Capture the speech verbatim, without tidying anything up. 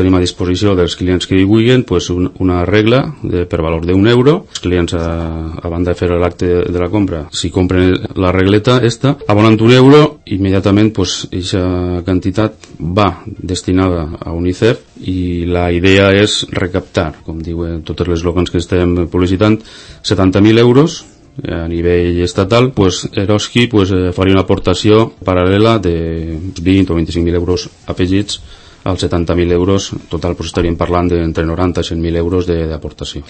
Tenim a disposició dels clients que hi vulguin pues, un, una regla de, per valor d'un euro. Els clients, a, a banda de fer l'acte de la compra, si compren la regleta esta, abonant un euro, immediatament pues, aquesta quantitat va destinada a UNICEF i la idea és recaptar, com diuen tots els eslògans que estem publicitant, setanta mil euros a nivell estatal. Pues, Eroski pues, faria una aportació paral·lela de vint o vint-i-cinc mil euros afegits als setanta mil euros total, pues, estaríem parlant d'entre noranta i cent mil euros d'aportació.